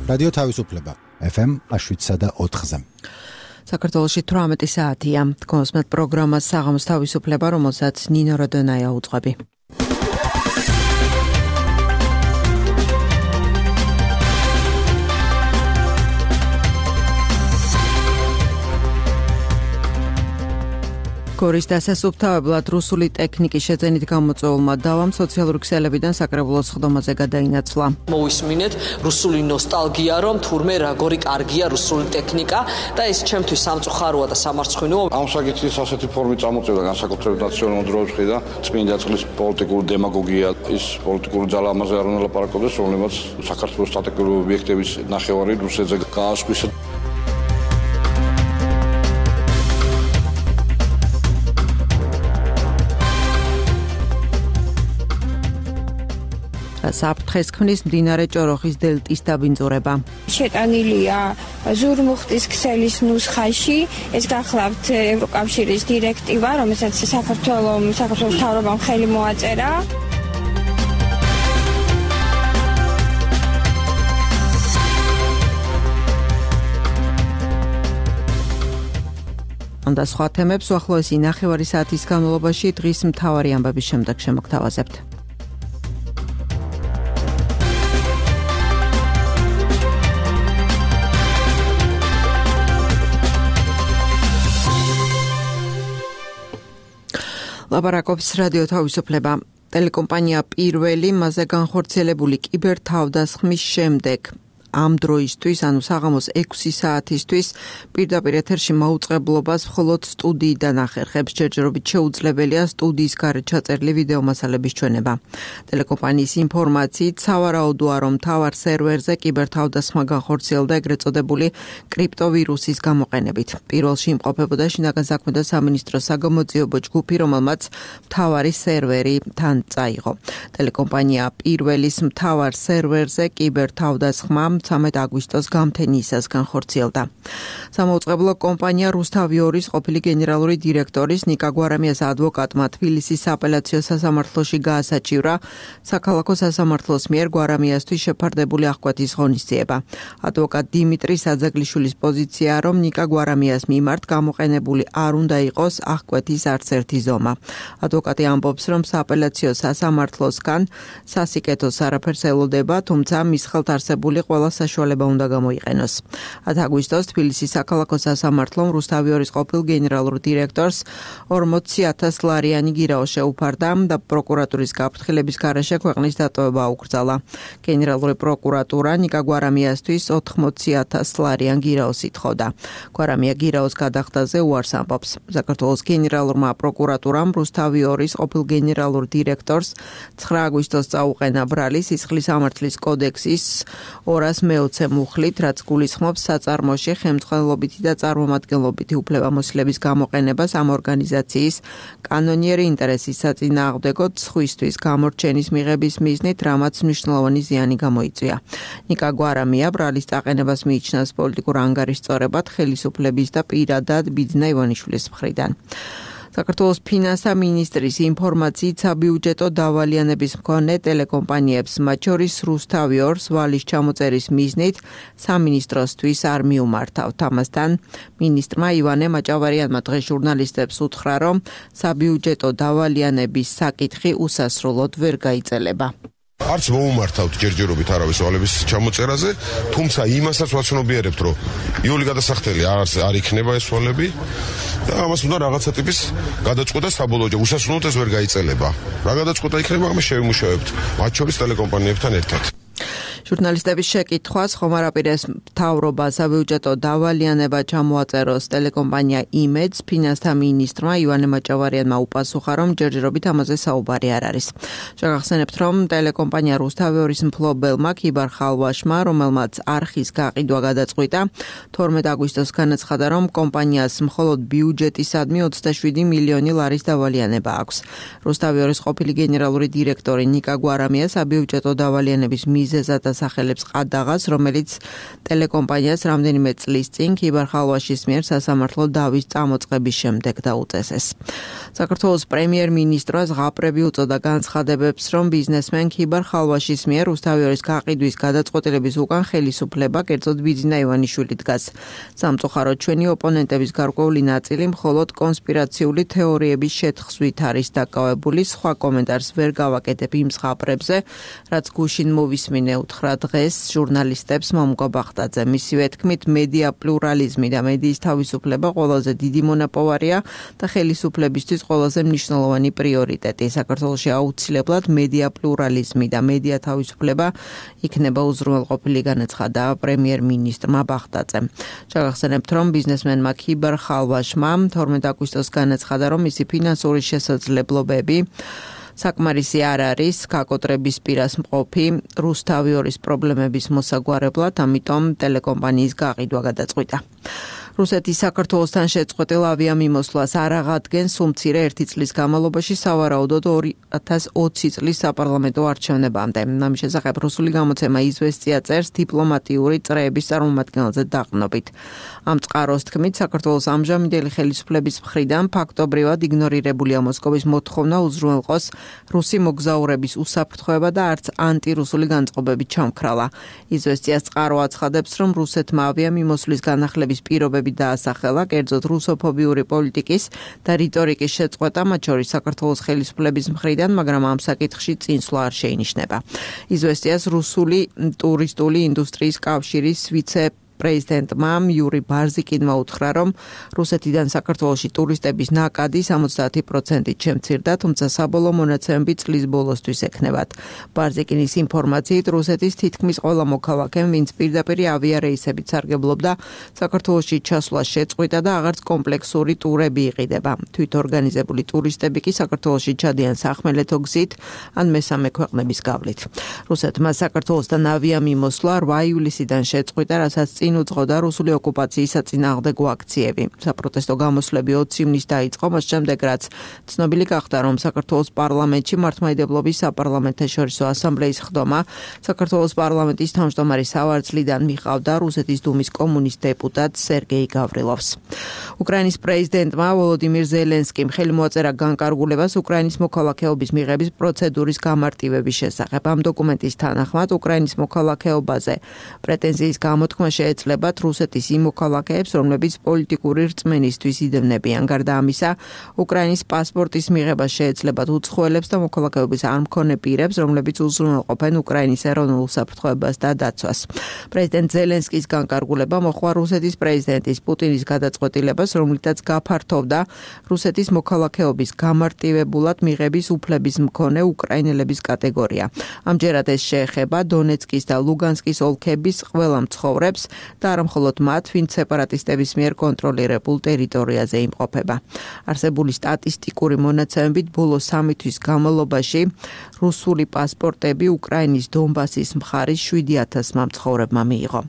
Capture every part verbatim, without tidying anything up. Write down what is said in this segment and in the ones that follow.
რადიო თავისუფლება ეფ ემ შვიდსა და ოთხზე. საქართველოში თვრამეტი საათია. კონსმეთ პროგრამას საღამოს თავისუფლება, რომელსაც ნინო როდონაია უძღვები. გორის დასასუფთავებლად რუსული ტექნიკის შეძენით გამოწვეულმა დავამ სოციალური ქსელებიდან საკრებულოს ხდომაზე გადაინაცვლა. მოვისმინეთ რუსული ნოსტალგია, რომ თურმე როგორი კარგია რუსული ტექნიკა და ეს ჩემთვის სამწუხაროა და სამარცხვინოა. ამ საკითხის ასეთი ფორმით წამოწევდა განსაკუთრებით ნაციონალურ დროებში და წმინდა წყლის პოლიტიკური დემაგოგია, ის პოლიტიკური ძალა ამაზე არ უნდა ლაპარაკობდეს, რომლებიც საქართველოს სტრატეგიული ობიექტების ნახევარი რუსეთზე გაასკვისა. საფრთხეს ქმნის მდინარე ჭოროხის დელტის დაბინძურება. შეტანილია ზურმუხტის ქსელის ნუსხაში, ეს გახლავთ ევროკავშირის დირექტივა, რომელსაც საქართველოს საქართველოს მთავრობამ ხელი მოაწერა. და სხვა თემებს უახლოესი ნახევარი საათის განმავლობაში დღის მთავარი ამბების შემდეგ შემოგთავაზებთ. ლაპარაკობს რადიო თავისუფლება. ტელეკომპანია პირველი მასზე განხორციელებული კიბერთავდასხმის შემდეგ ამ დროისთვის, ანუ საღამოს ექვსი საათისთვის პირდაპირ ეთერში მაუწყებლობას მხოლოდ სტუდიიდან ახერხებს. ჯერჯერობით შეუძლებელია სტუდიის გარეთ ჩაწერილი ვიდეო მასალების ჩვენება. ტელეკომპანიის ინფორმაციით, სავარაუდოა, რომ მთავარ სერვერზე კიბერთავდასხმა განხორციელდა ეგრეთ წოდებული კრიპტოვირუსის გამოყენებით. პირველში იმყოფებოდა შინაგან საქმეთა სამინისტროს საგამოძიებო ჯგუფი, რომელმაც მთავარი სერვერი თან წაიღო. ტელეკომპანია პირველის მთავარ სერვერზე კიბერთავდასხმა მცამეტ აგვისტოს გამთენიისას განხორციელდა. სამაუწყებლო კომპანია რუსთავიორის ყოფილი გენერალური დირექტორის ნიკა გვარამიას ადვოკატმა თბილისის სააპელაციო სასამართლოში გაასაჩივრა საქალაქო სასამართლოს მიერ გვარამიასთვის შეფარდებული აღკვეთის ღონისძიება. ადვოკატ დიმიტრი საძაგლიშვილის პოზიციაა, რომ ნიკა გვარამიას მიმართ გამოყენებული არ უნდა იყოს აღკვეთის არც ერთი ზომა. ადვოკატი ამბობს, რომ სააპელაციო სასამართლოსგან სასიკეთოს არაფერს ელოდება, თუმცა მის ხელთ არსებული ყველა საშუალება უნდა გამოიყენოს. ათ აგვისტოს თბილისის საქალაქო სასამართლომ რუსთავიორის ყოფილ გენერალურ დირექტორს ორმოცი ათას ლარიანი გირაო შეუფარდა და პროკურატურის გაფრთხილების გარეშე ქვეყნის დატოვება აუკრძალა. გენერალური პროკურატურა ნიკა გვარამიასთვის ოთხმოცი ათას ლარიან გირაოს ითხოვდა. გვარამია გირაოს გადახდაზე უარს ამბობს. საქართველოს გენერალურმა პროკურატურამ რუსთავიორის ყოფილ გენერალურ დირექტორს ცხრა აგვისტოს წაუყენა ბრალი სისხლის სამართლის კოდექსის ორას მეოცე მუხლით, რაც გულისხმობს საწარმოში ხელმძღვანელობითი და წარმომადგენლობითი უფლებამოსილების გამოყენებას ამ ორგანიზაციის კანონიერი ინტერესის საწინააღმდეგოდ სხვისთვის გამორჩენის მიღების მიზნით, რამაც მნიშვნელოვანი ზიანი გამოიწვია. ნიკა გვარამია ბრალის წაყენებას მიიჩნევს პოლიტიკურ ანგარიშწორებად ხელისუფლების და პირადად ბიძინა ივანიშვილის მხრიდან. საქართველოს ფინანსთა მინისტრის ინფორმაციით საბიუჯეტო დავალიანების მქონე ტელეკომპანიებს, მათ შორის რუსთავიორს ვალის ჩამოწერის მიზნით სამინისტროსთვის არ მიუმართავთ. ამასთან მინისტრმა ივანე მაჭავარიანმა დღეს ჟურნალისტებს უთხრა, რომ საბიუჯეტო დავალიანების საკითხი უსასრულოდ ვერ გაიწელება. არც მოუმართავთ ჯერჯერობით არავის ვალების ჩამოწერაზე, თუმცა იმასაც ვაცნობიერებთ, რომ იული გადასახდელი არ არ იქნება ეს ვალები და ამას უნდა რაღაცა ტიპის გადაწყვეტა საბოლოო უსასრულოდ ეს ვერ გაიწელება. რა გადაწყვეტა იქნება, ამას შევიმუშავებთ, მათ შორის ტელეკომპანიებთან ერთად. ჟურნალისტების შეკითხვას ხომ არ აპირეს მთავრობა საბიუჯეტო დავალიანება ჩამოაწეროს ტელეკომპანია იმედს, ფინანსთა მინისტრმა ივანე მაჭავარიანმა უპასუხა, რომ ჯერჯერობით ამაზე საუბარი არ არის. შეგახსენებთ, რომ ტელეკომპანია რუსთავიორის მფლობელმა ქიბარ ხალვაშმა, რომელმაც არხის გაყიდვა გადაწყვიტა, თორმეტ აგვისტოს განაცხადა, რომ კომპანიას მხოლოდ ბიუჯეტისადმი ოცდაშვიდი მილიონი ლარის დავალიანება აქვს. რუსთავიორის ყოფილი გენერალური დირექტორი ნიკა გვარამია საბიუჯეტო დავალიანების მიზეზად გადასახელებს ყადაღას, რომელიც ტელეკომპანიას რამდენიმე წლის წინ ქიბერ-ხალვაშის მიერ სასამართლო დავის წამოწყების შემდეგ დაუწესეს. საქართველოს პრემიერ-მინისტრმა ზღაპრები უწოდა განცხადებებს, რომ ბიზნესმენ ქიბერ-ხალვაშის მიერ რუსთავიორის გაყიდვის გადაწყვეტილების უკან ხელისუფლება, კერძოდ ბიძინა ივანიშვილი დგას. სამწუხაროდ ჩვენი ოპონენტების გარკვეული ნაწილი მხოლოდ კონსპირაციული თეორიების შეთხსვით არის დაკავებული, სხვა კომენტარს ვერ გავაკეთებ იმ ზღაპრებზე, რაც გუშინ მოვისმინე უთხრა დღეს ჟურნალისტებს მომგო ბახტაძე. მისივე თქმით, მედია პლურალიზმი და მედიის თავისუფლება ყველაზე დიდი მონაპოვარია და ხელისუფლებისთვის ყველაზე მნიშვნელოვანი პრიორიტეტი. საქართველოში აუცილებლად მედია პლურალიზმი და მედია თავისუფლება იქნება უზრუნველყოფილი, განაცხადა პრემიერ-მინისტრმა ბახტაძემ. Შეგახსენებთ, რომ ბიზნესმენმა ქიბერ-ხალვაშმა თორმეტ აგვისტოს განაცხადა, რომ მისი ფინანსური შესაძლებლობები საკმარისი არ არის გაკოტრების პირას მყოფი რუსთავიორის პრობლემების მოსაგვარებლად, ამიტომ ტელეკომპანიის გაყიდვა გადაწყვიტა. რუსეთის საქართველოსთან შეწყვეტილ ავიამიმოსვლას არ აღადგენს უმცირე ერთი წლის განმავლობაში სავარაუდოდ ორი ათას ოცი წლის საპარლამენტო არჩევნებამდე. ამის შესახებ რუსული გამოცემა იზვესტია წერს დიპლომატიური წრეების წარმომადგენელზე დაყრდნობით. ამ წყაროს თქმით, საქართველოს ამჟამინდელი ხელისუფლების მხრიდან ფაქტობრივად იგნორირებულია მოსკოვის მოთხოვნა უზრუნველყოს რუსი მოგზაურების უსაფრთხოება და არც ანტირუსული განწყობები ჩამქრალა. იზვესტიას წყარო აცხადებს, რომ რუსეთმა ავიამიმოსვლის განახლების პირობები დაასახელა, კერძოდ რუსოფობიური პოლიტიკის და რიტორიკის შეწყვეტა, მათ შორის საქართველოს ხელისუფლების მხრიდან, მაგრამ ამ საკითხში წინსვლა არ შეინიშნება. იზვესტიას რუსული ტურისტული ინდუსტრიის კავშირის ვიცე პრეზიდენტმა იური ბარზიკინმა უთხრა, რომ რუსეთიდან საქართველოში ტურისტების ნაკადი სამოცდაათი პროცენტით შემცირდა, თუმცა საბოლოო მონაცემები წლის ბოლოსთვის ექნებათ. ბარზიკინის ინფორმაციით, რუსეთის თითქმის ყველა მოქალაქემ, ვინც პირდაპირ ავიარეისებით სარგებლობდა, საქართველოში ჩასვლა შეწყვიტა და აღარც კომპლექსური ტურები იყიდება. თვითორგანიზებული ტურისტები კი საქართველოში ჩადიან სახმელეთო გზით ან მესამე ქვეყნების გავლით. რუსეთმა საქართველოსთან ავიამიმოსვლა რვა ივლისიდან შეწყვიტა, რასაც წინ უძღოდა რუსული ოკუპაციის საწინააღმდეგო აქციები. საპროტესტო გამოსვლები ოცი ივნისს დაიწყო, მას შემდეგ რაც ცნობილი გახდა, რომ საქართველოს პარლამენტში მართლმადიდებლობის საპარლამენტთაშორისო ასამბლეის ხდომა საქართველოს პარლამენტის თავმჯდომარის სავარძლიდან მიყავდა რუსეთის დუმის კომუნისტ დეპუტატ სერგეი გავრილოვს. უკრაინის პრეზიდენტმა ვოლოდიმირ ზელენსკიმ ხელი მოაწერა განკარგულებას უკრაინის მოქალაქეობის მიღების პროცედურის გამარტივების შესახებ. ამ დოკუმენტის თანახმად უკრაინის მოქალაქეობაზე პრეტენზიის გამოთქმა შეეძლებათ რუსეთის იმ მოქალაქეებს, რომლებიც პოლიტიკური რწმენისთვის იდევნებიან. გარდა ამისა, უკრაინის პასპორტის მიღება შეეძლებათ უცხოელებს და მოქალაქეობის არ მქონე პირებს, რომლებიც უზრუნველყოფენ უკრაინის ეროვნულ უსაფრთხოებას და დაცვას. პრეზიდენტ ზელენსკის განკარგულება მოჰყვა რუსეთის პრეზიდენტის პუტინის გადაწყვეტილებას, რომლითაც გაფართოვდა რუსეთის მოქალაქეობის გამარტივებულად მიღების უფლების მქონე უკრაინელების კატეგორია. ამჯერად ეს შეეხება დონეცკის და ლუგანსკის ოლქების ყველა მცხოვრებს და არა მხოლოდ მათ, ვინც სეპარატისტების მიერ კონტროლირებულ ტერიტორიაზე იმყოფება. არსებული სტატისტიკური მონაცემებით ბოლო სამი თვის განმავლობაში რუსული პასპორტები უკრაინის დონბასის მხარის შვიდი ათასმა მცხოვრებმა მიიღო.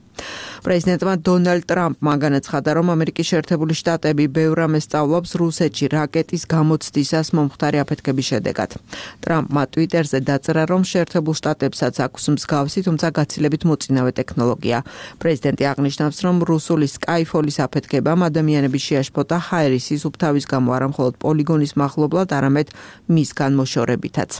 პრეზიდენტმა დონალდ ტრამპმა განაცხადა, რომ ამერიკის შეერთებული შტატები ბევრ რამეს სწავლობს რუსეთში რაკეტის გამოცდისას მომხდარი აფეთქების შედეგად. ტრამპმა ტვიტერზე დაწერა, რომ შეერთებულ შტატებსაც აქვს მსგავსი, თუმცა გაცილებით მოწინავე ტექნოლოგია. პრეზიდენტი აღნიშნავს, რომ რუსული სკაიფოლის აფეთქებამ ადამიანების შეაშფოთა ჰაერისის უფთავის გამო არა მხოლოდ პოლიგონის მახლობლად, არამედ მისგან მოშორებითაც.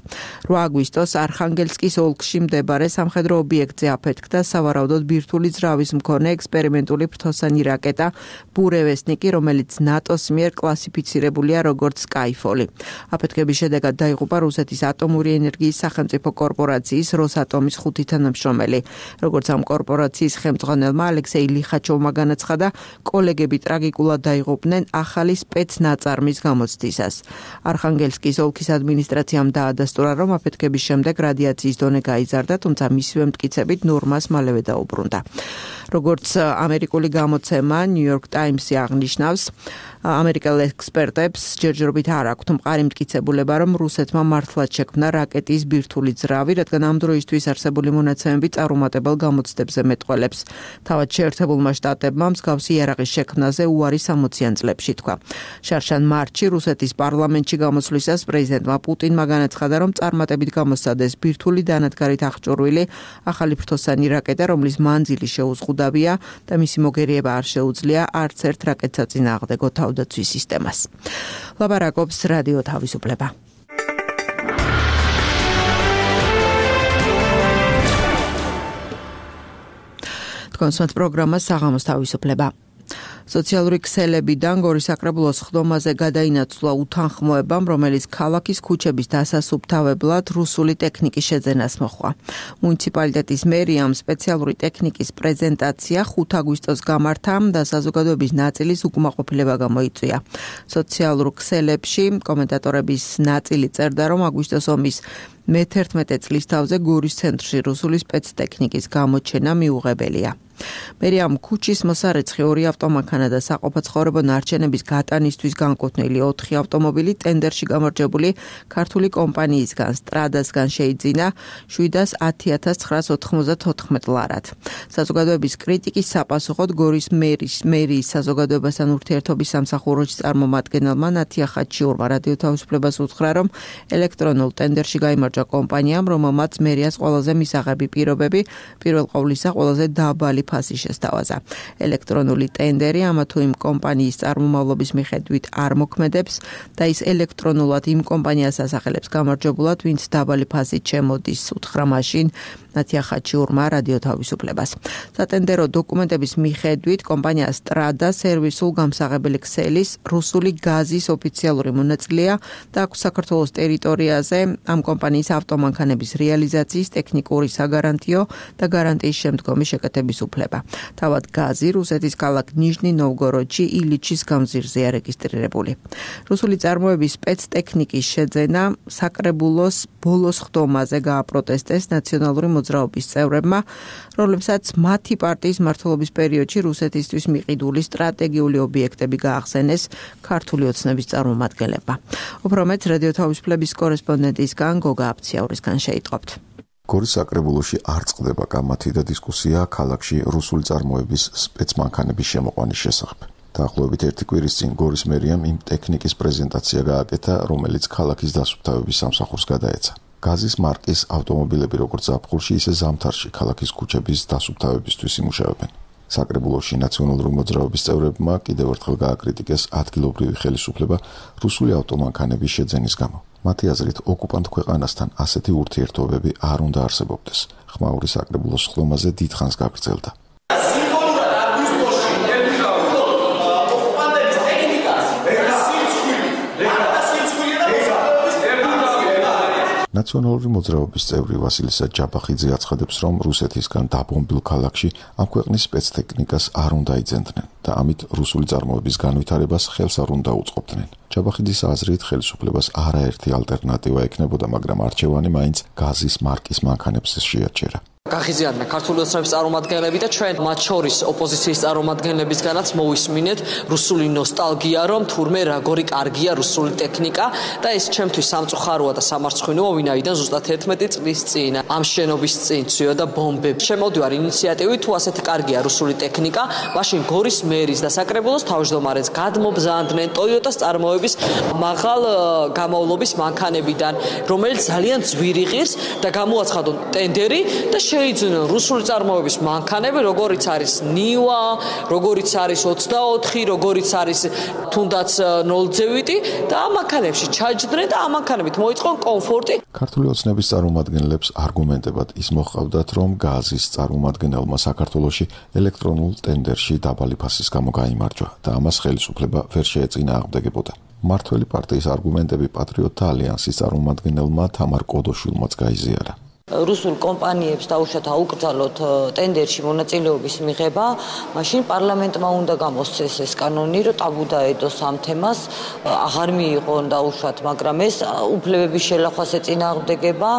რვა აგვისტოს არხანგელსკის ოლქში მდებარე სამხედრო ობიექტზე აფეთქდა სავარაუდოდ ბირთვული ძრავის მქონე ექსპერიმენტული ფრთოსანი რაკეტა ბურევესნიკი, რომელიც ნატოს მიერ კლასიფიცირებულია როგორც სკაიფოლი. აფეთქების შედეგად დაიღუპა რუსეთის ატომური ენერგიის სახელმწიფო კორპორაციის როსატომის ხუთი თანამშრომელი. როგორც ამ კორპორაციის ხელმძღვანელმა ალექსეი ლიხაჩოვმა განაცხადა, კოლეგები ტრაგიკულად დაიღუპნენ ახალი სპეცნაწარმის გამოცდისას. არხანგელსკის ოლქის ადმინისტრაციამ დაადასტურა, რომ აფეთქების შემდეგ რადიაციის დონე გაიზარდა, თუმცა მისივე მტკიცებით ნორმას მალევე დაუბრუნდა. როგორც ამერიკული გამოცემა New York Times-ი აღნიშნავს, ამერიკელ ექსპერტებს ჯერჯერობით არ აქვთ მყარი მტკიცებულება, რომ რუსეთმა მართლაც შექმნა რაკეტის ბირთვული ძრავი, რადგან ამ დროისთვის არსებული მონაცემები წარუმატებელ გამოცდებზე მეტყველებს. თავად შეერთებულმა შტატებმა მსგავსი იარაღის შექმნაზე უარი სამოციან წლებში თქვა. შარშან მარტში რუსეთის პარლამენტში გამოსვლისას პრეზიდენტმა პუტინმა განაცხადა, რომ წარმატებით გამოსცადეს ბირთვული დანადგარით აღჭურვილი ახალი ფრთოსანი რაკეტა, რომლის მანძილი შეუზღუდავია და მისი მოგერიება არ შეუძლია არც ერთ რაკეტს საწინააღმდეგო თავდაცვის სისტემას. ლაპარაკობს რადიო თავისუფლება. კონსულტ პროგრამა საღამოს თავისუფლება. სოციალური ქსელებიდან გორის საკრებულოს ხდომაზე გადაინაცვლა უთანხმოებამ, რომელიც ქალაქის ქუჩების დასასუფთავებლად რუსული ტექნიკის შეძენას მოჰყვა. მუნიციპალიტეტის მერიამ სპეციალური ტექნიკის პრეზენტაცია ხუთ აგვისტოს გამართა და საზოგადოების ნაწილის უკმაყოფილება გამოიწვია. სოციალურ ქსელებში კომენტატორების ნაწილი წერდა, რომ აგვისტოს ომის მეთერთმეტე წლის თავზე გორის ცენტრში რუსული სპეცტექნიკის გამოჩენა მიუღებელია. მერიამ ქუჩის მოსარეცხი ორი ავტომანქანა და საყოფაცხოვრებო ნარჩენების გატანისთვის განკუთვნილი ოთხი ავტომობილი ტენდერში გამარჯვებული ქართული კომპანიისგან სტრადასგან შეიძინა შვიდას ათი ათას ცხრაას ოთხმოცდათოთხმეტ ლარად. საზოგადოების კრიტიკის საპასუხოდ გორის მერის მერიის საზოგადოებასთან ურთიერთობის სამსახუროში წარმომადგენელმა ნათია ხაჩიურმა რადიო თავისუფლებას უთხრა, რომ ელექტრონულ ტენდერში გაიმარჯვა კომპანიამ, რომელმაც მერიას ყველაზე მისაღები პირობები პირველ ყოვლისა ყველაზე დაბალი ფასი შესთავაზა. ელექტრონული ტენდერი ამა თუ იმ კომპანიის წარმომავლობის მიხედვით არ მოქმედებს და ის ელექტრონულად იმ კომპანიას ასახელებს გამარჯვებულად, ვინც დაბალი ფასით შემოდის, უთხრა მაშინ ნათია ხაჩიურმა რადიო თავისუფლებას. სატენდერო დოკუმენტების მიხედვით კომპანია სტრადა სერვისულ გამსაღებელი ქსელის რუსული გაზის ოფიციალური მონაწილეა და აქვს საქართველოს ტერიტორიაზე ამ კომპანიის ავტომანქანების რეალიზაციის ტექნიკური საგარანტიო და გარანტიის შემდგომი შეკეთების უფლება. თავად გაზი რუსეთის ქალაქ ნიჟნი-ნოვგოროდში ილიჩის გამზირზეა რეგისტრირებული. რუსული წარმოების სპეცტექნიკის შეძენა საკრებულოს ბოლოს ხდომაზე გააპროტესტეს ნაციონალური მოძრაობის წევრებმა, რომლებსაც მათი პარტიის მმართველობის პერიოდში რუსეთისთვის მიყიდული სტრატეგიული ობიექტები გაახსენეს ქართული ოცნების წარმომადგენლებმა. უფრო მეტ რადიო თავისუფლების კორესპონდენტისგან გოგა აფციაურისგან შეიტყობთ. გორის საკრებულოში არ წყდება კამათი და დისკუსია ქალაქში რუსული წარმოების სპეცმანქანების შემოყვანის შესახებ. დაახლოებით ერთი კვირის წინ გორის მერიამ იმ ტექნიკის პრეზენტაცია გააკეთა, რომელიც ქალაქის დასუფთავების სამსახურს გადაეცა. გაზის მარკის ავტომობილები როგორც ზაფხულში, ისე ზამთარში ქალაქის ქუჩების დასუფთავებისთვის იმუშავებენ. საკრებულოში ნაციონალური მოძრაობის წევრებმა კიდევ ერთხელ გააკრიტიკეს ადგილობრივი ხელისუფლება რუსული ავტომანქანების შეძენის გამო. მათი აზრით, ოკუპანტ ქვეყანასთან ასეთი ურთიერთობები არ უნდა არსებობდეს. ხმაური საკრებულოს ხდომაზე დიდხანს გაგრძელდა. ნაციონალური მოძრაობის წევრი ვასილისა ჯაბახიძე აცხადებს, რომ რუსეთისგან დაბომბილ ქალაქში ამ ქვეყნის სპეცტექნიკას არ უნდა იძენდნენ და ამით რუსული წარმოების განვითარებას ხელს არ უნდა უწყობდნენ. ჯაბახიძის აზრით, ხელისუფლებას არაერთი ალტერნატივა ექნებოდა, მაგრამ არჩევანი მაინც გაზის მარკის მანქანებს შეაჩერა. გახიზიანდნენ ქართული ოცნების წარმომადგენლები და ჩვენ მათ შორის ოპოზიციის წარმომადგენლებისგანაც მოვისმინეთ რუსული ნოსტალგია, რომ თურმე როგორი კარგია რუსული ტექნიკა და ეს ჩემთვის სამწუხაროა და სამარცხვინოა, ვინაიდან ზუსტად თერთმეტი წლის წინ ამ შენობის წინ ცვიოდა ბომბები. შემოდივარ ინიციატივით, თუ ასეთი კარგია რუსული ტექნიკა, მაშინ გორის მერის და საკრებულოს თავმჯდომარეს გადმობზანდნენ ტოიოტას წარმოების მაღალ გამოვლობის მანქანებიდან, რომელიც ძალიან ძვირი ღირს და გამოაცხადონ ტენდერი და შეიძინონ რუსული წარმოების მანქანები, როგორიც არის ნივა, როგორიც არის ოცდაოთხი, როგორიც არის თუნდაც ნოლ ზევიტი და ამ მანქანებში ჩაჯდნენ და ამ მანქანებით მოიწყონ კომფორტი. ქართული ოცნების წარმომადგენლებს არგუმენტებად ის მოჰყავდათ, რომ გაზის წარმომადგენელმა საქართველოში ელექტრონულ ტენდერში დაბალი ფასის გამო გაიმარჯვა და ამას ხელისუფლება ვერ შეეწინააღმდეგებოდა. მართველი პარტიის არგუმენტები პატრიოტთა ალიანსის წარმომადგენელმა თამარ კოდოშვილმაც გაიზიარა. რუსულ კომპანიებს დაუშვათ აუკრძალოთ ტენდერში მონაწილეობის მიღება, მაშინ პარლამენტმა უნდა გამოსცეს ეს კანონი, რომ ტაბუ დაედოს ამ თემას, აღარ მიიღო დაუშვათ, მაგრამ ეს უფლებების შელახვას ეწინააღმდეგება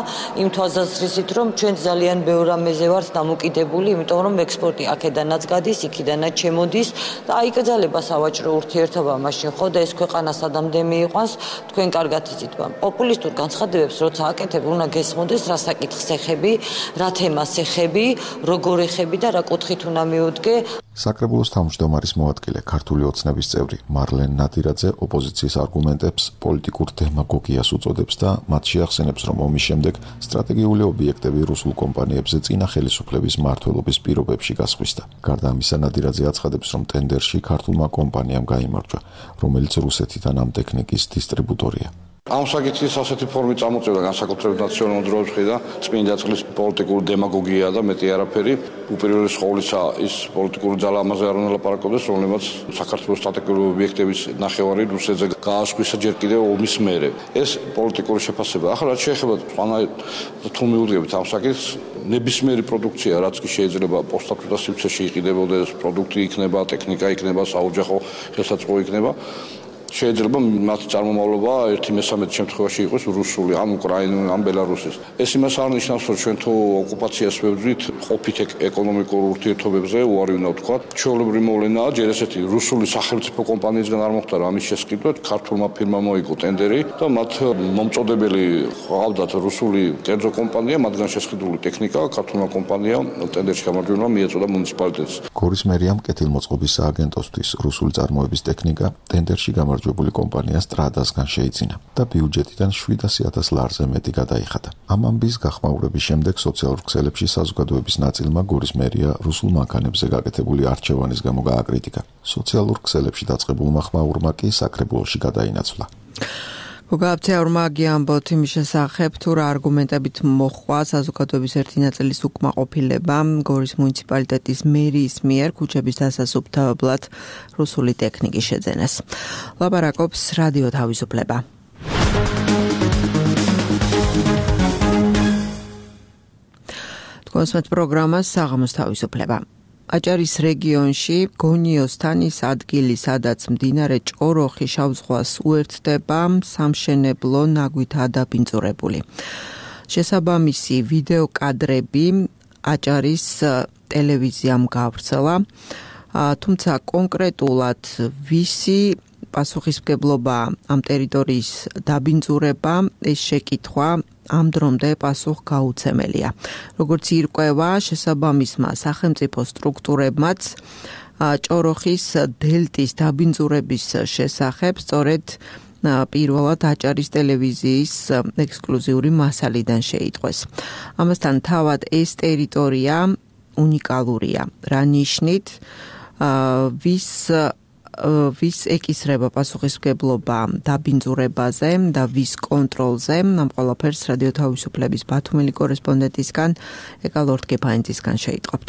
იმ თვალსაზრისით, რომ ჩვენ ძალიან ბევრ რამეზე ვართ დამოკიდებული, იმიტომ რომ ექსპორტი აქედანაც გადის, იქიდანაც შემოდის და აიკრძალება სავაჭრო ურთიერთობა მაშინ ხო და ეს ქვეყანა სადამდე მიიყვანს, თქვენ კარგად იცით, პოპულისტურ განცხადებებს როცა აკეთებ, უნდა გესმოდეს რა საკითხს ეხები, რა თემას ეხები, როგორ ეხები და რა კუთხით უნდა მიუდგე. საკრებულოს თავმჯდომარის მოადგილე ქართული ოცნების წევრი მარლენ ნადირაძე ოპოზიციის არგუმენტებს პოლიტიკურ დემაგოგიას უწოდებს და მათ შეახსენებს, რომ ომის შემდეგ სტრატეგიული ობიექტები რუსულ კომპანიებზე წინა ხელისუფლების მმართველობის პირობებში გასხვისდა. გარდა ამისა, ნადირაძე აცხადებს, რომ ტენდერში ქართულმა კომპანიამ გაიმარჯვა, რომელიც რუსეთიდან ამ ტექნიკის დისტრიბუტორია. ამ საკითხის ასეთი ფორმით წამოწევდა განსაკუთრებით ნაციონალურ დროების მხრიდან წმინდა წყლის პოლიტიკური დემაგოგია და მეტი არაფერი. უპირველეს ყოვლისა ის პოლიტიკური ძალა ამაზე არ უნდა ლაპარაკობდეს, რომელმაც საქართველოს სტრატეგიული ობიექტების ნახევარი რუსეთზე გაასხვისა ჯერ კიდევ ომის მერე. ეს პოლიტიკური შეფასება. ახლა რაც შეეხება თუ მიუდგებით ამ საკითხს, ნებისმიერი პროდუქცია, რაც კი შეიძლება პოსტაპტუთა სივრცეში იყიდებოდეს, პროდუქტი იქნება, ტექნიკა იქნება, საოჯახო ხელსაწყო იქნება, შეიძლება მათ წარმომავლობა ერთი მესამედი შემთხვევაში იყოს რუსული, ამ უკრაინული, ამ ბელარუსის. ეს იმას არ ნიშნავს, რომ ჩვენ თუ ოკუპაციას ვებრძვით ყოფით ეკონომიკურ ურთიერთობებზე, უარი უნდა ვთქვა. ჩვეულებრივი მოვლენაა, ჯერ ესეთი რუსული სახელმწიფო კომპანიისგან არ მოხდა რა ამის შესყიდვა, ქართულმა ფირმა მოიგო ტენდერი და მათ მომწოდებელი ყავდათ რუსული კერძო კომპანია, მათგან შესყიდული ტექნიკა, ქართულმა კომპანიამ ტენდერში გამარჯვება მიეწოდა მუნიციპალიტეტს. გორის მერიამ კეთილმოწყობის სააგენტოსთვის რუსული წარმოების ტექნიკა ტენდერში გამარჯვებული კომპანია სტრადასგან შეიძინა და ბიუჯეტიდან შვიდასი ათას ლარზე მეტი გადაიხადა. ამ ამბის გახმაურების შემდეგ სოციალურ ქსელებში საზოგადოების ნაწილმა გორის მერია რუსულ მანქანებზე გაკეთებული არჩევანის გამო გააკრიტიკა. სოციალურ ქსელებში დაწყებულმა ხმაურმა კი საკრებულოში გადაინაცვლა. გოგაბცეურმა გიამბოთ იმის შესახებ, თუ რა არგუმენტებით მოხვა საზოგადოების ერთი ნაწილის უკმაყოფილება გორის მუნიციპალიტეტის მერიის მიერ ქუჩების დასასუფთავებლად რუსული ტექნიკის შეძენას. ლაპარაკობს რადიო თავისუფლება. თქვენს პროგრამას საღამოს თავისუფლება. აჭარის რეგიონში გონიოსთან ის ადგილი, სადაც მდინარე ჭოროხი შავ ზღვას უერთდება, სამშენებლო ნაგვითაა დაბინძურებული. შესაბამისი ვიდეო კადრები აჭარის ტელევიზიამ გავრცელა, თუმცა კონკრეტულად ვისი პასუხისმგებლობა ამ ტერიტორიის დაბინძურება, ეს შეკითხვა ამ დრომდე პასუხ გაუცემელია. როგორც ირკვევა, შესაბამისმა სახელმწიფო სტრუქტურებმაც ჭოროხის დელტის დაბინძურების შესახებ სწორედ პირველად აჭარის ტელევიზიის ექსკლუზიური მასალიდან შეიტყვეს. ამასთან თავად ეს ტერიტორია უნიკალურია. რა ნიშნით, ვის ვის ეკისრება პასუხისმგებლობა დაბინძურებაზე და ვის კონტროლზე, ამ ყველაფერს რადიო თავისუფლების ბათუმელი კორესპონდენტისგან ეკალორდ გეფაინძისგან შეიტყობთ.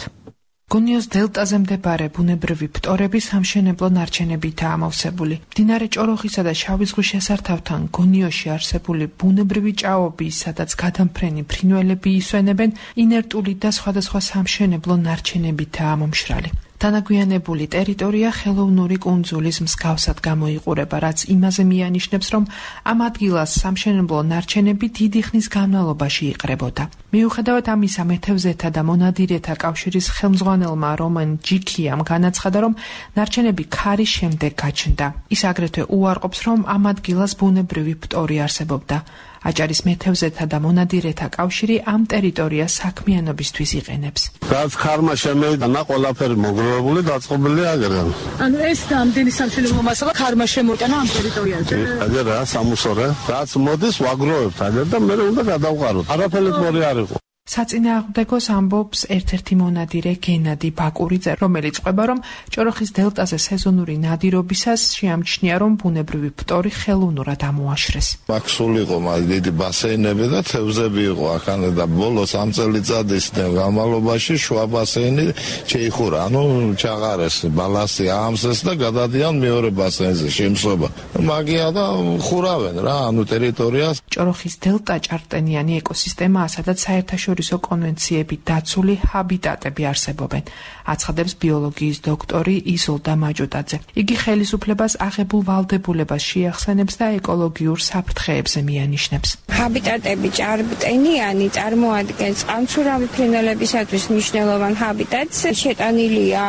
გონიოს დელტაზე მდებარე ბუნებრივი ფტორები სამშენებლო ნარჩენებითაა ამოვსებული. მდინარე ჭოროხისა და შავი ზღვის შესართავთან გონიოში არსებული ბუნებრივი ჭაობი, სადაც გადამფრენი ფრინველები ისვენებენ, ინერტული და სხვადასხვა სამშენებლო ნარჩენებითაა ამომშრალი. თანაგვიანებული ტერიტორია ხელოვნური კუნძულის მსგავსად გამოიყურება, რაც იმაზე მიანიშნებს, რომ ამ ადგილას სამშენებლო ნარჩენები დიდი ხნის განმავლობაში იყრებოდა. მიუხედავად ამისა, მეთევზეთა და მონადირეთა კავშირის ხელმძღვანელმა რომან ჯიქიამ განაცხადა, რომ ნარჩენები ქარის შემდეგ გაჩნდა. ის აგრეთვე უარყოფს, რომ ამ ადგილას ბუნებრივი ფტორი არსებობდა. აჭარის მეთევზეთა და მონადირეთა კავშირი ამ ტერიტორიას საქმიანობისთვის იყენებს. რაც ქარმა შემეიტანა, ყველაფერი მოგროვებული, დაწყობილი აგერგან. ანუ ეს ამდენი სამშენებლო მასალა ქარმა შემოიტანა ამ ტერიტორიაზე. აგერა სამუსორე, რაც მოდის ვაგროვებთ აგერ და მე უნდა გადავყაროთ. არაფერი თორე არ იყო. საწინააღმდეგოს ამბობს ერთ-ერთი მონადირე გენადი ბაკურიძე, რომელიც ყვება, რომ ჭოროხის დელტაზე სეზონური ნადირობისას შეამჩნია, რომ ბუნებრივი ფტორი ხელოვნურად ამოაშრეს. აქ სულ იყო დიდი ბასეინები და თევზები იყო აქანე და ბოლოს ამ წელიწადის განმავლობაში შუა ბასეინი შეიხურა, ანუ ჩაღარეს ბალასი აამსეს და გადადიან მეორე ბასეინზე შემსობა. მაგია და ხურავენ რა, ანუ ტერიტორიას. ჭოროხის დელტა ჭარბტენიანი ეკოსისტემაა, სადაც საერთაშორისო კონვენციებით დაცული ჰაბიტატები არსებობენ, აცხადებს ბიოლოგიის დოქტორი იზოლდა მაჯუტაძე. იგი ხელისუფლებას აღებულ ვალდებულებას შეახსენებს და ეკოლოგიურ საფრთხეებზე მიანიშნებს. ჰაბიტატები ჭარბტენიანი წარმოადგენს წყალმცურავი ფრინველებისათვის მნიშვნელოვან ჰაბიტატს. შეტანილია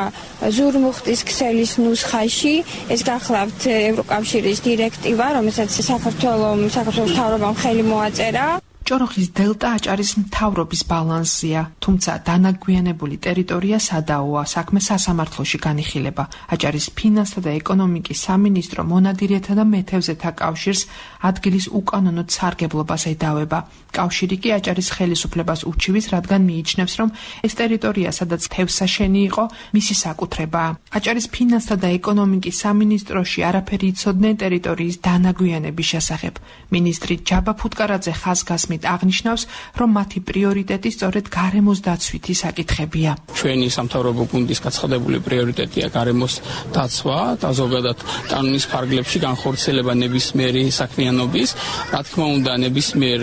ზურმუხტის ქსელის ნუსხაში. ეს გახლავთ ევროკავშირის დირექტივა, რომელსაც საქართველოს საქართველოს მთავრობამ ხელი მოაწერა. ჭოროხის დელტა აჭარის მთავრობის ბალანსია, თუმცა დანაგვიანებული ტერიტორია სადაოა, საქმე სასამართლოში განიხილება. აჭარის ფინანსთა და ეკონომიკის სამინისტრო მონადირეთა და მეთევზეთა კავშირს ადგილის უკანონო სარგებლობას ედავება. კავშირი კი აჭარის ხელისუფლებას უჩივის, რადგან მიიჩნევს, რომ ეს ტერიტორია, სადაც თევზსაშენი იყო, მისი საკუთრებაა. აჭარის ფინანსთა და ეკონომიკის სამინისტროში არაფერი იცოდნენ ტერიტორიის დანაგვიანების შესახებ. მინისტრი ჯაბა ფუტკარაძე ხაზგასმით აღნიშნავს, რომ მათი პრიორიტეტი სწორედ გარემოს დაცვითი საკითხებია. ჩვენი სამთავრობო გუნდის გაცხადებული პრიორიტეტია გარემოს დაცვა და ზოგადად კანონის ფარგლებში განხორციელება ნებისმიერი საქმიანობის, რა თქმა უნდა, ნებისმიერ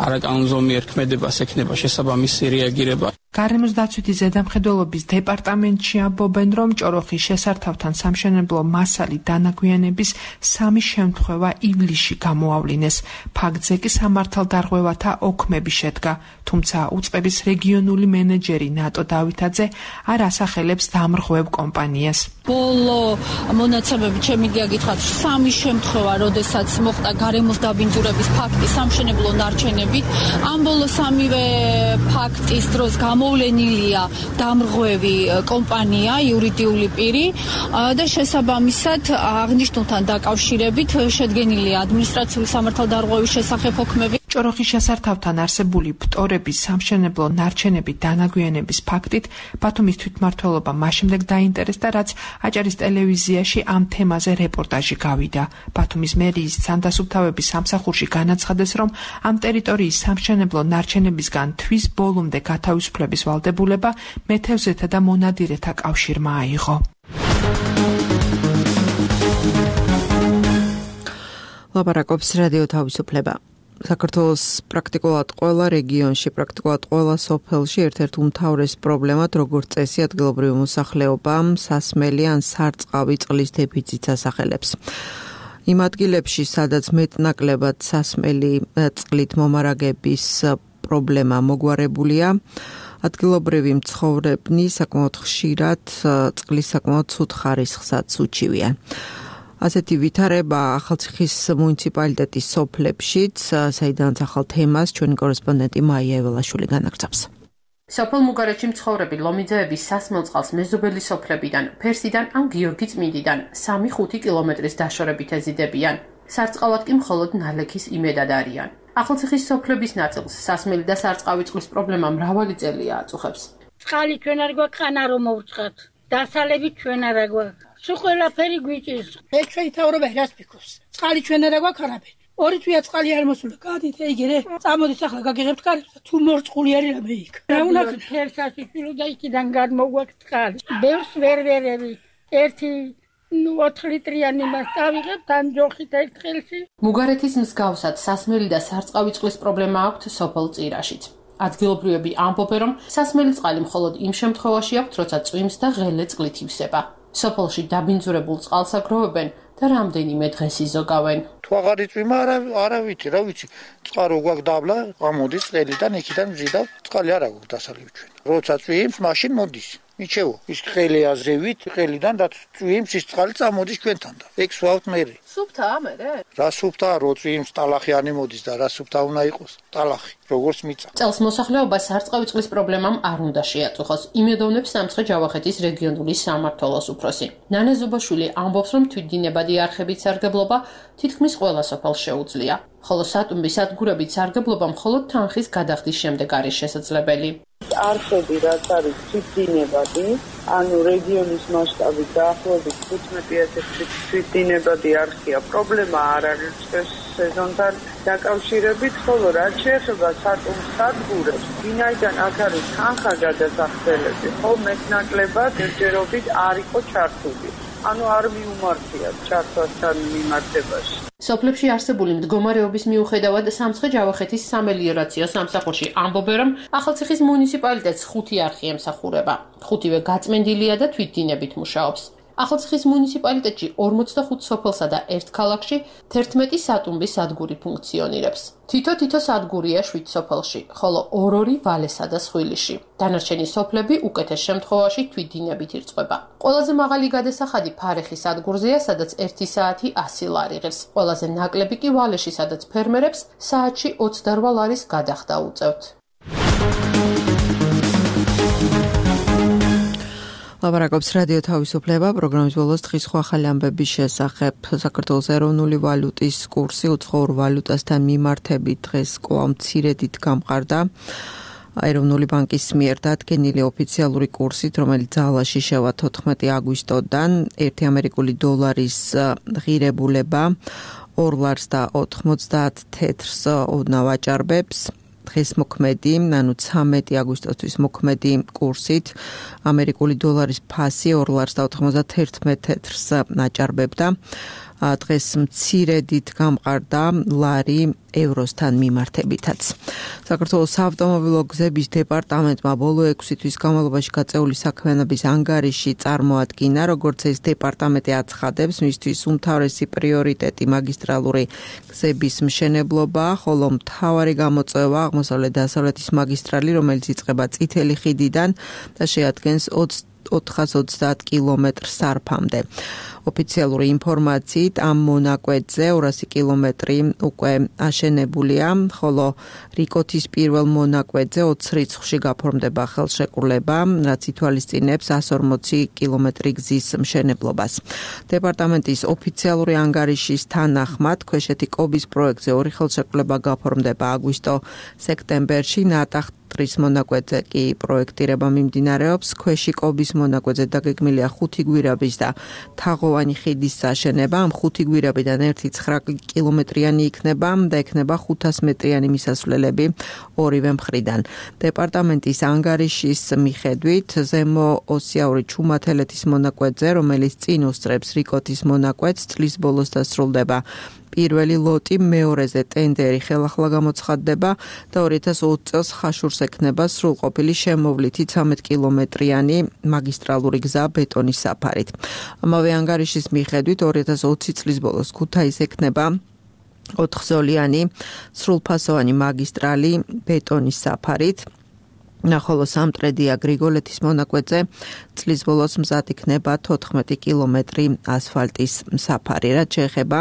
არაკანონზომიერ ქმედებას ექნება შესაბამისი რეაგირება. გარემოს დაცვითი ზედამხედველობის დეპარტამენტში ამბობენ, რომ ჭოროხის შესართავთან სამშენებლო მასალი დანაგვიანების სამი შემთხვევა ივლისში გამოავლინეს. ფაქტზე კი სამართალდარღვევათა ოქმები შედგა, თუმცა უწყების რეგიონული მენეჯერი ნატო დავითაძე არ ასახელებს დამრღვევ კომპანიას. ბოლო მონაცემები ჩემი გაგითხრათ, სამი შემთხვევა, როდესაც მოხდა გარემოს დაბინძურების ფაქტი სამშენებლო ნარჩენებით. ამ ბოლო სამივე ფაქტის დროს გამოვლენილია დამრღვევი კომპანია, იურიდიული პირი და შესაბამისად აღნიშნულთან დაკავშირებით შედგენილია ადმინისტრაციული სამართალდარღვევის შესახებ ოქმები. ჭოროხის შესართავთან არსებული ფტორების სამშენებლო ნარჩენების დანაგვიანების ფაქტით ბათუმის თვითმმართველობა მაშინდელ დაინტერესდა, რაც აჭარის ტელევიზიაში ამ თემაზე რეპორტაჟი გავიდა. ბათუმის მერიის სანდასუფთავების სამსახურში განაცხადეს, რომ ამ ტერიტორიის სამშენებლო ნარჩენებისგან თვის ბოლომდე გათავისუფლების ვალდებულება მეთევზეთა და მონადირეთა კავშირმა აიღო. ლაპარაკობს რადიო თავისუფლება. საქართველოს პრაქტიკულად ყველა რეგიონში, პრაქტიკულად ყველა სოფელში ერთ-ერთ უმთავრეს პრობლემად, როგორც წესი, ადგილობრივი მოსახლეობა სასმელი ან სარწყავი წყლის დეფიციტს ასახელებს. იმ ადგილებში, სადაც მეტნაკლებად სასმელი წყლით მომარაგების პრობლემა მოგვარებულია, ადგილობრივი მცხოვრებნი საკმაოდ ხშირად წყლის საკმაოდ ცუდ ხარისხსაც უჩივიან. ასეთი ვითარება ახალციხის მუნიციპალიტეტის სოფლებშიც, საიდანაც ახალ თემას ჩვენი კორესპონდენტი მაია ეველაშვილი განაგრძობს. სოფელ მუგარეთში მცხოვრები ლომიძეების სასმელ წყალს მეზობელი სოფლებიდან, ფერსიდან ან გიორგი წმინდიდან სამი ხუთი კილომეტრის დაშორებით ეზიდებიან. სარწყავად კი მხოლოდ ნალექის იმედად არიან. ახალციხის სოფლების ნაწილს სასმელი და სარწყავი წყლის პრობლემა მრავალი წელია აწუხებს. წყალი ჩვენ არ გვაქვს ხანა რომ მოვწყოთ. დასალები ჩვენ არ გვაქვს. სულ ყველაფერი გვიჭირს. ეს ჩვენი თავრობა რას ფიქრობს? წყალი ჩვენ არ გვაქვს არაფერი. ორი თვეა წყალი არ მოსულა. გადით ეგერე. წამოდით ახლა გაგიღებთ კარებს და თუ მორწყული არის რამე იქ. რა უნდა ფერსაში ფილო და იქიდან გადმოგვაქვს წყალი. ბევრს ვერ ვერები. ერთი ნუ ოთხ ლიტრიანი მას წავიღებთ ან ჯოხით ერთხელში. მუგარეთის მსგავსად სასმელი და სარწყავი წყლის პრობლემა აქვთ სოფელ წირაშიც. ადგილობრივები ამბობენ, რომ სასმელი წყალი მხოლოდ იმ შემთხვევაში აქვთ, როცა წვიმს და ღელე წყლით ივსება. სოფელში დაბინძურებულ წყალს აგროვებენ და რამდენიმე დღეს იზოგავენ. თუ აღარ იწვიმა, არა არა ვიცი, რა ვიცი. წყარო გვაქვს დაბლა, გამოდის ყელიდან, იქიდან ვზიდავ, წყალი არ აქვს დასალევი ჩვენ. როცა წვიმს, მაშინ მოდის. მიჩევო, ის ყელი აზევით, ყელიდან და წვიმს ის წყალი წამოდის ჩვენთან და ეგ სვავთ მე. სუფთაა მერე? რა სუფთაა, რო წვიმს ტალახიანი მოდის და რა სუფთა უნდა იყოს? ტალახი, როგორც მიწა. წელს მოსახლეობა სარწყავი წყლის პრობლემამ არ უნდა შეაწუხოს. იმედოვნებს სამცხე ჯავახეთის რეგიონული სამმართველოს უფროსი. ნანა ზუბაშვილი ამბობს, რომ თვითდინებადი არხებით სარგებლობა თითქმის ყველა სოფელს შეუძლია. ხოლო სატუმბის სადგურებით სარგებლობა მხოლოდ თანხის გადახდის შემდეგ არის შესაძლებელი. არხები რაც არის თვითდინებადი, ანუ რეგიონის მასშტაბით დაახლოებით თხუთმეტი ათასი თვითდინებადი არხია. პრობლემა არ არის ეს სეზონთან დაკავშირებით, ხოლო რაც შეეხება სატუმბ სადგურებს, ვინაიდან აქ არის თანხა გადასახდელები, ხო მეტნაკლებად ჯერჯერობით არ იყო ჩართული. ანუ არ მიუმართიათ ჩართვასთან მიმართებაში. სოფლებში არსებული მდგომარეობის მიუხედავად სამცხე-ჯავახეთის სამელიორაციო სამსახურში ამბობენ, რომ ახალციხის მუნიციპალიტეტს ხუთი არხი ემსახურება. ხუთივე გაწმენდილია და თვითდინებით მუშაობს. ახალციხის მუნიციპალიტეტში ორმოცდახუთ სოფელსა და ერთ ქალაქში თერთმეტი სატუმბის სადგური ფუნქციონირებს. თითო-თითო სადგურია შვიდ სოფელში, ხოლო ორ-ორი ვალესა და სხვილიში. დანარჩენი სოფლები უკეთეს შემთხვევაში თვითდინებით ირწყვება. ყველაზე მაღალი გადასახადი ფარეხის სადგურზეა, სადაც ერთი საათი ასი ლარი ღირს. ყველაზე ნაკლები კი ვალეში, სადაც ფერმერებს საათში ოცდარვა ლარის გადახდა უწევთ. ლაპარაკობს რადიო თავისუფლება, პროგრამის ბოლოს დღის სხვა ახალი ამბების შესახებ. საქართველოს ეროვნული ვალუტის კურსი უცხოურ ვალუტასთან მიმართებით დღეს კვლავ მცირედით გამყარდა. ეროვნული ბანკის მიერ დადგენილი ოფიციალური კურსით, რომელიც ძალაში შევა თოთხმეტი აგვისტოდან, ერთი ამერიკული დოლარის ღირებულება ორ ლარს და ოთხმოცდაათ თეთრს ოდნავ აჭარბებს. დღეს მოქმედი, ანუ ცამეტი აგვისტოსთვის მოქმედი კურსით ამერიკული დოლარის ფასი ორ ლარს და ოთხმოცდაათერთმეტ თეთრს აჭარბებდა. დღეს მცირედით გამყარდა ლარი ევროსთან მიმართებითაც. საქართველოს საავტომობილო გზების დეპარტამენტმა ბოლო ექვსი თვის განმავლობაში გაწეული საქმიანობის ანგარიში წარმოადგინა, როგორც ეს დეპარტამენტი აცხადებს, მისთვის უმთავრესი პრიორიტეტი მაგისტრალური გზების მშენებლობა, ხოლო მთავარი გამოწვევა აღმოსავლეთ-დასავლეთის მაგისტრალი, რომელიც იწყება წითელი ხიდიდან და შეადგენს ოთხას ოცდაათ კილომეტრ სარფამდე. ოფიციალური ინფორმაციით ამ მონაკვეთზე ორასი კილომეტრი უკვე აშენებულია, ხოლო რიკოთის პირველ მონაკვეთზე ოცი რიცხვში გაფორმდება ხელშეკრულება, რაც ითვალისწინებს εκατს ორმოცი კილომეტრი გზის მშენებლობას. დეპარტამენტის ოფიციალური ანგარიშის თანახმად, ქვეშეთი კობის პროექტზე ორი ხელშეკრულება გაფორმდება აგვისტო-სექტემბერში, ნატახ ტრის მონაკვეთზე კი პროექტირება მიმდინარეობს. ქვეში კობის მონაკვეთზე დაგეგმილია ხუთი გვირაბის და თაღოვანი ხიდის აშენება. ამ ხუთი გვირაბიდან ერთი ცხრა კილომეტრიანი იქნება და ექნება ხუთას მეტრიანი მისასვლელები ორივე მხრიდან. დეპარტამენტის ანგარიშის მიხედვით, ზემო ოსიაური ჩუმათელეთის მონაკვეთზე, რომელიც წინ უსწრებს რიკოთის მონაკვეთს, წლის ბოლოს დასრულდება პირველი ლოტი, მეორეზე ტენდერი ხელახლა გამოცხადდება და ორი ათას ოცი წელს ხაშურს ექნება სრულყოფილი შემოვლითი ცამეტ კილომეტრიანი მაგისტრალური გზა ბეტონის საფარით. ამავე ანგარიშის მიხედვით ორი ათას ოცი წლის ბოლოს ქუთაისს ექნება ოთხზოლიანი სრულფასოვანი მაგისტრალი ბეტონის საფარით. ხოლო სამტრედია გრიგოლეთის მონაკვეთზე წლის ბოლოს მზად იქნება თოთხმეტი კილომეტრი ასფალტის საფარი, რაც შეეხება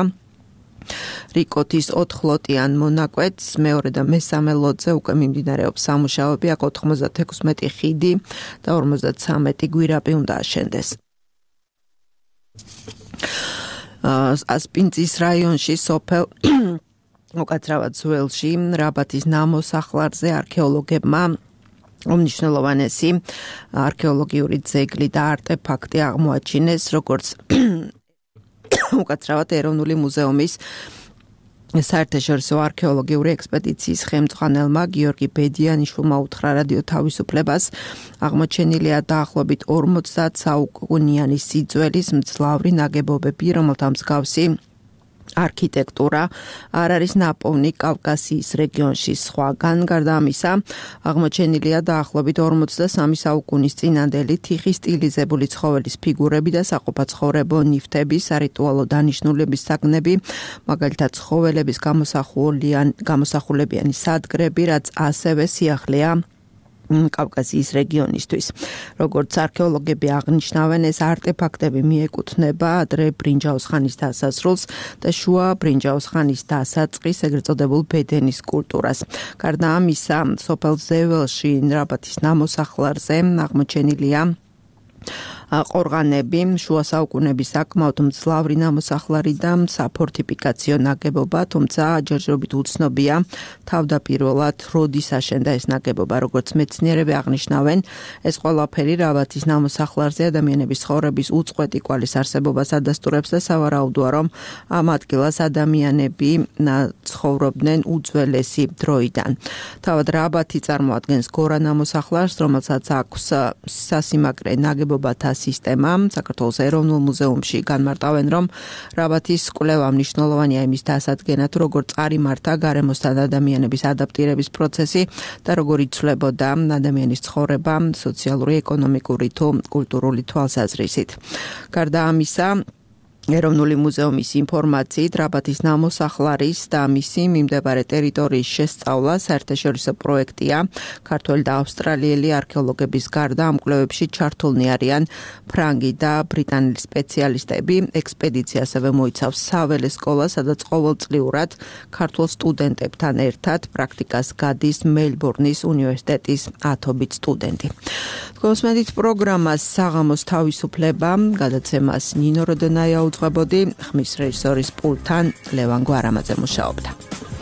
რიკოთის ოთხლოტიან მონაკვეთს, მეორე და მესამე ლოტზე უკვე მიმდინარეობს სამუშაოები, აქ ოთხმოცდათექვსმეტი ხიდი და ორმოცდაცამეტი გვირაბი უნდა აშენდეს. ასპინძის რაიონში სოფელ უკაცრავად ძველში რაბათის ნამოსახლარზე არქეოლოგებმა უმნიშვნელოვანესი არქეოლოგიური ძეგლი და არტეფაქტი აღმოაჩინეს, როგორც უკაცრავად ეროვნული მუზეუმის საერთაშორისო არქეოლოგიური ექსპედიციის ხელმძღვანელმა გიორგი ბედიანიშვილმა უთხრა რადიო თავისუფლებას, აღმოჩენილია დაახლოებით ორმოცდაათ საუკუნიანი სიძველის მძლავრი ნაგებობები, რომელთა მსგავსი არქიტექტურა არ არის ნაპოვნი კავკასიის რეგიონში. სხვაგან, გარდა ამისა, აღმოჩენილია დაახლოებით ორმოცდასამი საუკუნის წინანდელი თიხის სტილიზებული ცხოველის ფიგურები და საყოფაცხოვრებო ნივთები, სარიტუალო დანიშნულების საგნები, მაგალითად ცხოველების გამოსახულებიანი სადგრები, რაც ასევე სიახლეა კავკასიის რეგიონისთვის. როგორც არქეოლოგები აღნიშნავენ, ეს არტეფაქტები მიეკუთვნება ადრე ბრინჯაოს ხანის დასასრულს და შუა ბრინჯაოს ხანის დასაწყის, ეგრეთ წოდებულ ბედენის კულტურას. გარდა ამისა, სოფელ ზეველში რაბათის ნამოსახლარზე აღმოჩენილია ყორღანები, შუა საუკუნეების საკმაოდ მძლავრი ნამოსახლარი და საფორტიფიკაციო ნაგებობა, თუმცა ჯერჯერობით უცნობია თავდაპირველად როდის აშენდა ეს ნაგებობა, როგორც მეცნიერები აღნიშნავენ, ეს ყველაფერი რაბათის ნამოსახლარზე ადამიანების ცხოვრების უწყვეტი კვალის არსებობას ადასტურებს და სავარაუდოა, რომ ამ ადგილას ადამიანები ცხოვრობდნენ უძველესი დროიდან. თავად რაბათი წარმოადგენს გორა ნამოსახლარს, რომელსაც აქვს სასიმაგრე ნაგებობათა სისტემა. საქართველოს ეროვნულ მუზეუმში განმარტავენ, რომ რაბათის კვლევა მნიშვნელოვანია იმის დასადგენად, როგორ წარიმართა გარემოსთან ადამიანების ადაპტირების პროცესი და როგორ იცვლებოდა ადამიანის ცხოვრება სოციალური, ეკონომიკური თუ კულტურული თვალსაზრისით. გარდა ამისა, ეროვნული მუზეუმის ინფორმაციით, რაბათის ნამოსახლარის და მისი მიმდებარე ტერიტორიის შესწავლა საერთაშორისო პროექტია. ქართველი და ავსტრალიელი არქეოლოგების გარდა ამ კვლევებში ჩართულნი არიან ფრანგი და ბრიტანელი სპეციალისტები. ექსპედიცია ასევე მოიცავს საველე სკოლას, სადაც ყოველწლიურად ქართულ სტუდენტებთან ერთად პრაქტიკას გადის მელბურნის უნივერსიტეტის ათობით სტუდენტი. თქვენს პროგრამას საღამოს თავისუფლება, გადაცემას ნინო როდონაია უძღვებოდი, ხმის რეჟისორის პულტთან ლევან გვარამაძე მუშაობდა.